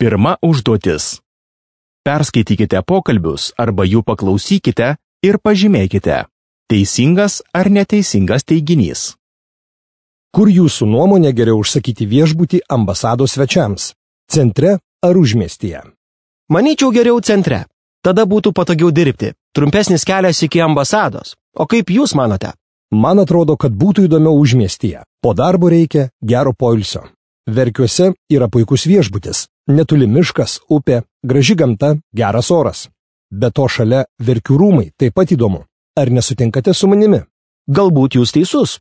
Pirma užduotis. Perskaitykite pokalbius arba jų paklausykite ir pažymėkite, teisingas ar neteisingas teiginys. Kur jūsų nuomonė geriau užsakyti viešbutį ambasados svečiams? Centre ar užmiestyje? Manyčiau geriau centre. Tada būtų patogiau dirbti. Trumpesnis kelias iki ambasados. O kaip jūs manote? Man atrodo, kad būtų įdomiau užmiestyje. Po darbo reikia gero poilsio. Verkiuose yra puikus viešbutis. Netoli miškas, upė, graži gamta, geras oras. Be to šalia Verkių rūmai taip pat įdomu. Ar nesutinkate su manimi? Galbūt jūs teisus.